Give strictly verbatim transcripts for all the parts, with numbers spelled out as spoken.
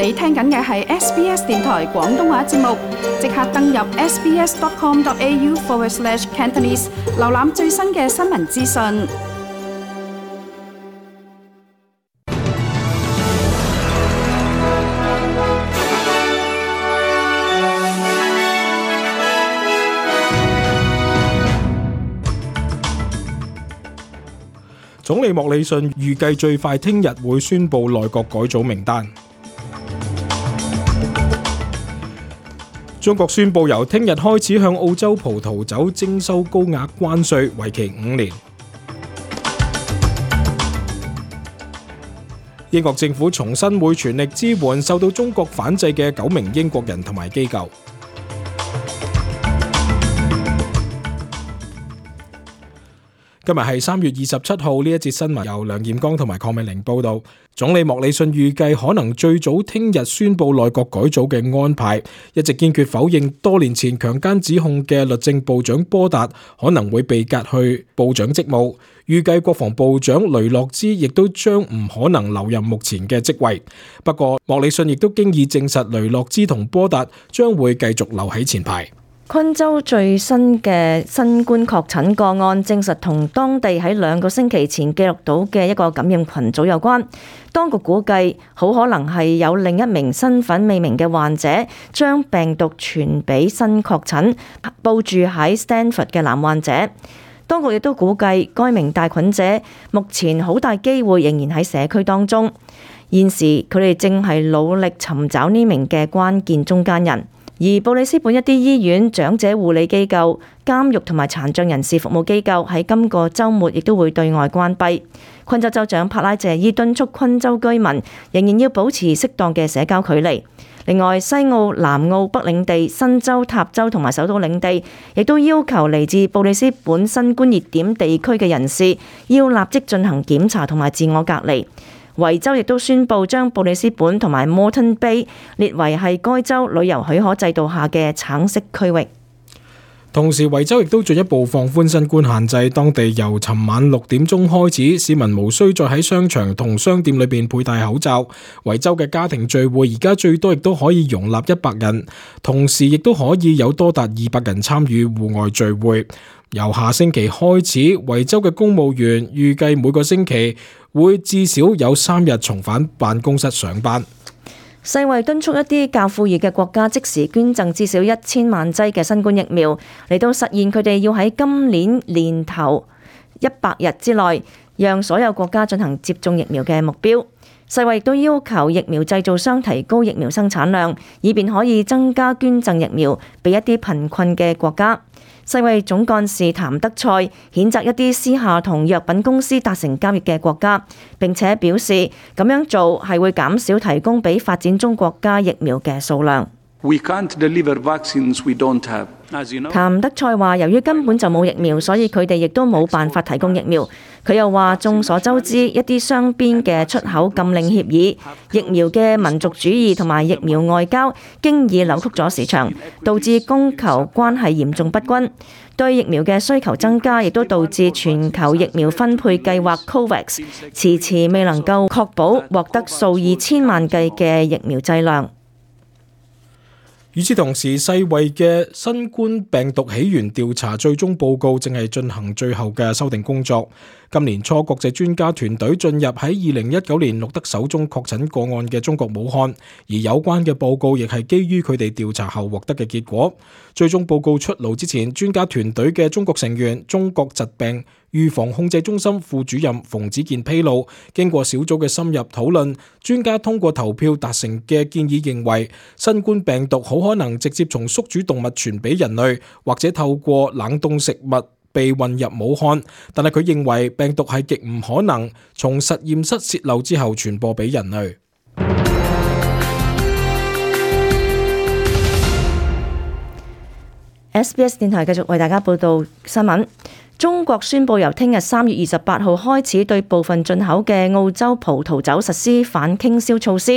你聽緊嘅係 S B S 電台廣東話節目，即刻登入 sbs.com.au forward slash Cantonese， 瀏覽最新嘅新聞資訊。總理莫里遜預計最快聽日會宣布內閣改組名單。中國宣布由聽日開始向澳洲葡萄酒徵收高額關稅，為期五年。英國政府重申會全力支援受到中國反制嘅九名英國人同埋機構。今日係三月二十七號，呢一節新聞由梁彥剛同埋鄺美玲報道。總理莫里遜預計可能最早聽日宣布內閣改組嘅安排，一直堅決否認多年前強姦指控嘅律政部長波達可能會被革去部長職務。預計國防部長雷諾茲亦都將唔可能留任目前嘅職位。不過莫里遜亦都經已證實雷諾茲同波達將會繼續留喺前排。昆州最新嘅新冠確診個案證實同當地喺兩個星期前記錄到嘅一個感染群組有關。當局估計好可能係有另一名身份未明嘅患者將病毒傳俾新確診報住喺 Stanford 嘅男患者。當局亦都估計該名帶菌者目前好大機會仍然喺社區當中。現時佢哋正係努力尋找呢名嘅關鍵中間人。而布里斯本一啲醫院、長者護理機構、監獄同埋殘障人士服務機構喺今個週末亦都會對外關閉。昆州州長帕拉謝伊敦促昆州居民仍然要保持適當嘅社交距離。另外，西澳、南澳、北領地、新州、塔州同埋首都領地亦都要求嚟自布里斯本新冠熱點地區嘅人士要立即進行檢查同埋自我隔離。維州亦都宣布將布里斯本同埋 Moreton Bay 列為係該州旅遊許可制度下嘅橙色區域。同時，維州亦都進一步放寬新冠限制，當地由尋晚六點鐘開始，市民無需再喺商場同商店裏邊佩戴口罩。維州嘅家庭聚會而家最多亦都可以容納一百人，同時亦都可以有多達二百人參與戶外聚會。由下星期開始，維州嘅公務員預計每個星期會至少有三日重返辦公室上班。世衛敦促一啲較富裕嘅國家即時捐贈至少一千萬劑嘅新冠疫苗，嚟到實現佢哋要喺今年年頭一百日之內讓所有國家進行接種疫苗嘅目標。世衛亦都要求疫苗製造商提高疫苗生產量，以便可以增加捐贈疫苗俾一啲貧困嘅國家。世衛總幹事譚德塞譴責一啲私下同藥品公司達成交易嘅國家，並且表示咁樣做係會減少提供俾發展中國家疫苗嘅數量。We can't deliver vaccines we don't have. As you know, 譚德塞話，由於根本就冇疫苗，所以佢哋亦都冇辦法提供疫苗。佢又話，眾所周知，一啲雙邊嘅出口禁令協議、疫苗嘅民族主義同埋疫苗外交，經已扭曲咗市場，導致供求關係嚴重不均。對疫苗嘅需求增加，亦都導致全球疫苗分配計劃 COVAX 遲遲未能夠確保獲得數以千萬計嘅疫苗劑量。與此同時，世衛嘅新冠病毒起源調查最終報告正係進行最後嘅修訂工作。今年初，國際專家團隊進入喺二零一九年錄得首宗確診個案嘅中國武漢，而有關嘅報告亦係基於佢哋調查後獲得嘅結果。最終報告出爐之前，專家團隊嘅中國成員、中國疾病預防控制中心副主任馮子健披露，經過小組嘅深入討論，專家通過投票達成嘅建議認為，新冠病毒好可能直接從宿主動物傳俾人類，或者透過冷凍食物被運入武漢，但係佢認為病毒係極唔可能從實驗室洩漏之後傳播俾人類。S B S 電台繼續為大家報道新聞。中國宣布由聽日三月二十八號開始，對部分進口嘅澳洲葡萄酒實施反傾銷措施。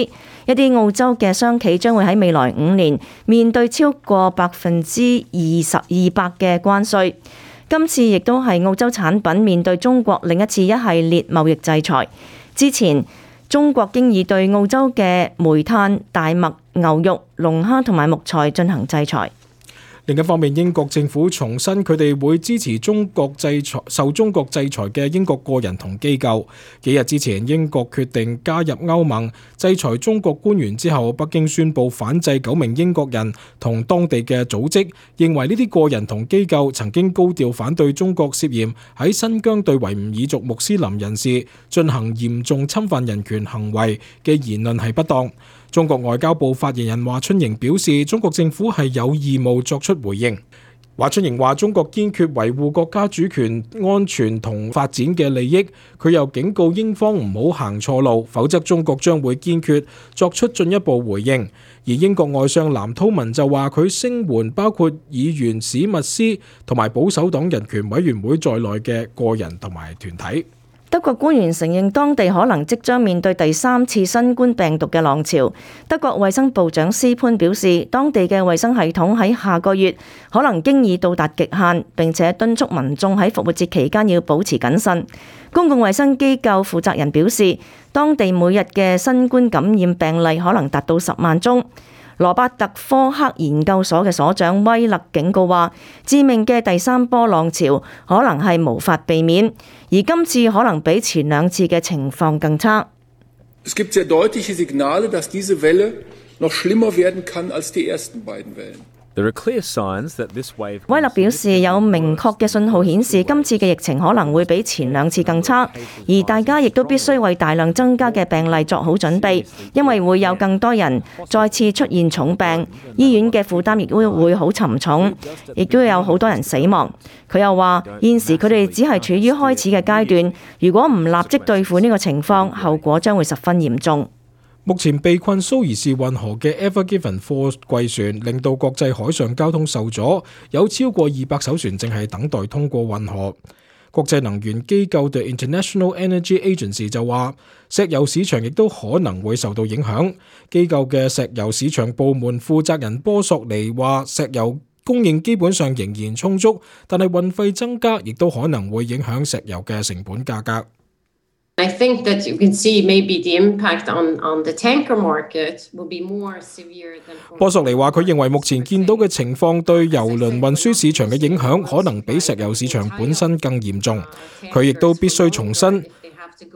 一啲澳洲嘅商企將會喺未來五年面對超過百分之二十二百嘅關稅。今次亦都係澳洲產品面對中國另一次一系列貿易制裁。之前中國經已對澳洲嘅煤炭、大麥、牛肉、龍蝦同埋木材進行制裁。另一方面，英國政府重申佢哋會支持中國制裁受中國制裁嘅英國個人同機構。幾日之前，英國決定加入歐盟，制裁中國官員之後，北京宣布反制九名英國人同當地嘅組織，認為呢啲個人同機構曾經高調反對中國涉嫌喺新疆對維吾爾族穆斯林人士進行嚴重侵犯人權行為嘅言論係不當。中國外交部發言人華春瑩表示，中國政府係有義務作出回應。華春瑩話：中國堅決維護國家主權、安全同發展嘅利益。佢又警告英方唔好行錯路，否則中國將會堅決作出進一步回應。而英國外相藍韜文就話，佢聲援包括議員史密斯同埋保守黨人權委員會在內嘅個人同埋團體。德國官員承認當地可能即將面對第三次新冠病毒嘅浪潮。德國衛生部長斯潘表示，當地嘅衛生系統喺下個月可能經已到達極限，並且敦促民眾喺復活節期間要保持謹慎。公共衛生機構負責人表示，當地每日嘅新冠感染病例可能達到十萬宗。羅伯特科克研究所嘅所長威勒警告話，致命嘅第三波浪潮可能係無法避免，而今次可能比前兩次嘅情況更差。Es gibt sehr deutliche Signale, dass diese Welle noch schlimmer werden kann als die ersten beiden Wellen。威勒表示，有明確嘅信號顯示今次嘅疫情可能會比前兩次更差，而大家亦都必須為大量增加嘅病例作好準備，因為會有更多人再次出現重病，醫院嘅負擔亦都會好沉重，亦都有好多人死亡。佢又話，現時佢哋只係處於開始嘅階段，如果唔立即對付呢個情況，後果將會十分嚴重。目前被困蘇伊士運河嘅 Ever Given 貨櫃船令到國際海上交通受阻，有超過二百艘船正係等待通過運河。國際能源機構 The International Energy Agency 就話，石油市場亦都可能會受到影響。機構嘅石油市場部門負責人波索尼話，石油供應基本上仍然充足，但係運費增加亦都可能會影響石油嘅成本價格。I think that you can see maybe the impact on, on the tanker market will be more severe than... 波索尼話，佢認為目前見到嘅情況對郵輪運輸市場嘅影響可能比石油市場本身更嚴重。佢亦都必須重申，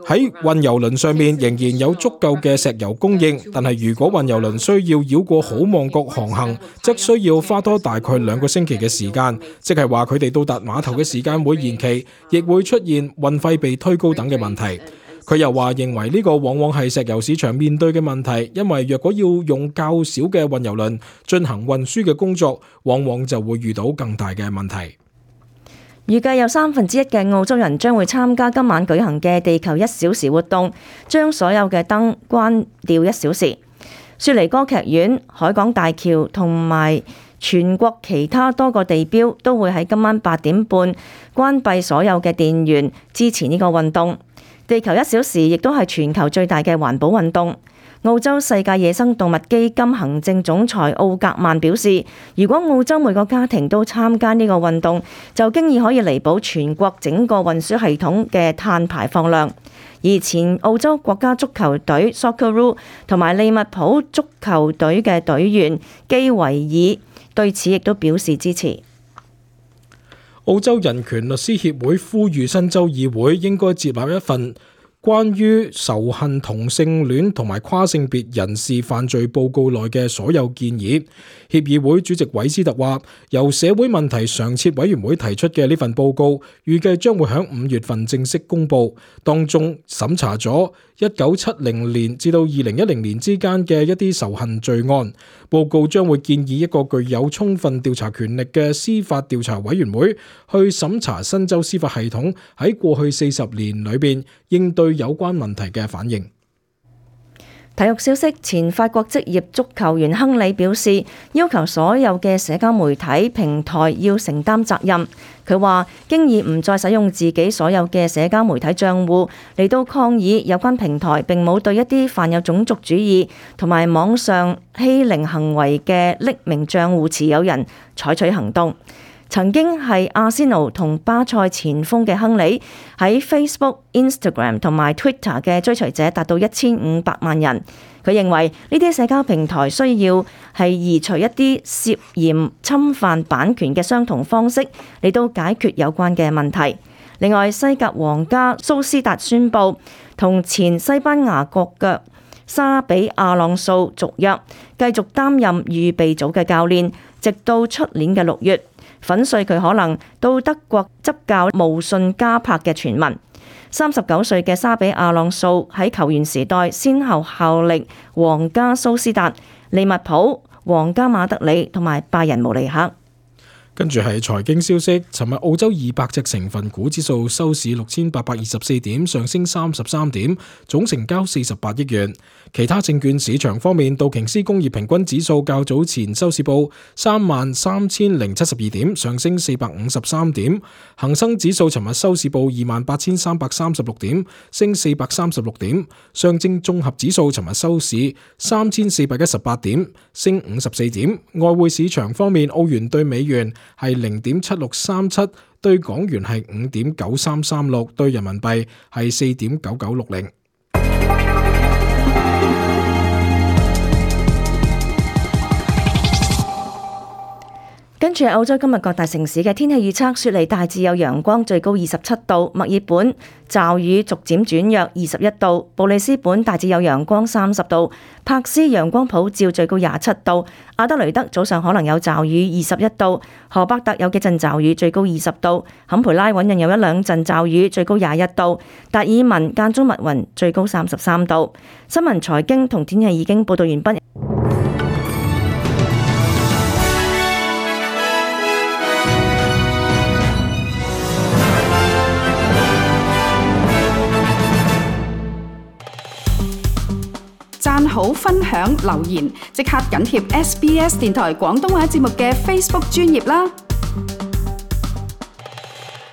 喺運油輪上面仍然有足夠嘅石油供應，但係如果運油輪需要繞過好望角航行，則需要花多大概兩個星期嘅時間，即係話佢哋到達碼頭嘅時間會延期，亦會出現運費被推高等嘅問題。佢又話認為呢個往往係石油市場面對嘅問題，因為若果要用較少嘅運油輪進行運輸嘅工作，往往就會遇到更大嘅問題。預計有三分之一嘅澳洲人將會參加今晚舉行嘅地球一小時活動，將所有嘅燈關掉一小時。雪梨歌劇院、海港大橋同埋全國其他多個地標都會喺今晚八點半關閉所有嘅電源，支持呢個運動。地球一小時亦都係全球最大嘅環保運動。澳洲世界野生動物基金行政總裁奧格曼表示，如果澳洲每個家庭都參加呢個運動，就經已可以彌補全國整個運輸系統嘅碳排放量。而前澳洲國家足球隊 Socceroo 同埋利物浦足球隊嘅隊員基維爾對此亦都表示支持。澳洲人權律師協會呼籲新州議會應該接納一份關於仇恨同性戀同埋跨性別人士犯罪報告內嘅所有建議。協議會主席韋斯特話，由社會問題常設委員會提出嘅呢份報告，預計將會喺五月份正式公佈，當中審查咗一九七零年至到二零一零年之間嘅一啲仇恨罪案。報告將會建議一個具有充分調查權力嘅司法調查委員會去審查新州司法系統喺過去四十年裏邊應對有關問題嘅反應。體育消息，前法國職業足球員亨利表示，要求所有嘅社交媒體平台要承擔責任。佢話經已唔再使用自己所有嘅社交媒體賬戶嚟到抗議有關平台並冇對一啲犯有種族主義同埋網上欺凌行為嘅匿名賬戶持有人採取行動。尋曾經係阿仙奴同巴塞前鋒嘅亨利，喺 Facebook、Instagram 同埋 Twitter 嘅追隨者達到一千五百萬人。佢認為呢啲社交平台需要係移除一啲涉嫌侵犯版權嘅相同方式嚟到解決有關嘅問題。另外，西甲皇家蘇斯達宣布同前西班牙國腳沙比亞朗素續約，繼續擔任預備組嘅教練，直到出年嘅六月，粉碎佢可能到德國執教慕遜加柏嘅傳聞。三十九歲嘅沙比亞朗素喺球員時代先後效力皇家蘇斯達、利物浦、皇家馬德里同埋拜仁慕尼黑。跟住係財經消息，尋日澳洲二百隻成分股指數收市六千八百二十四點，上升三十三點，總成交四十八億元。其他證券市場方面，道瓊斯工業平均指數較早前收市報三萬三千零七十二點，上升四百五十三點。恒生指數尋日收市報二萬八千三百三十六點，升四百三十六點。上證綜合指數尋日收市三千四百一十八點，升五十四點。外匯市場方面，澳元對美元係零點七六三七，對港元係五點九三三六，對人民幣係四點九九六零。跟住係澳洲今日各大城市嘅天氣預測，雪梨大致有陽光，最高二十七度；墨爾本驟雨逐漸轉弱，二十一度；布里斯本大致有陽光，三十度；柏斯陽光普照，最高廿七度；阿德雷德早上可能有驟雨，二十一度；荷伯特有幾陣驟雨，最高二十度；坎培拉穩陣有一兩陣驟雨，最高廿一度；達爾文間中密雲，最高三十三度。新聞財經同天氣已經報道完畢。讚好、分享、留言，即刻緊貼 S B S 電台廣東話節目嘅 Facebook 專頁啦！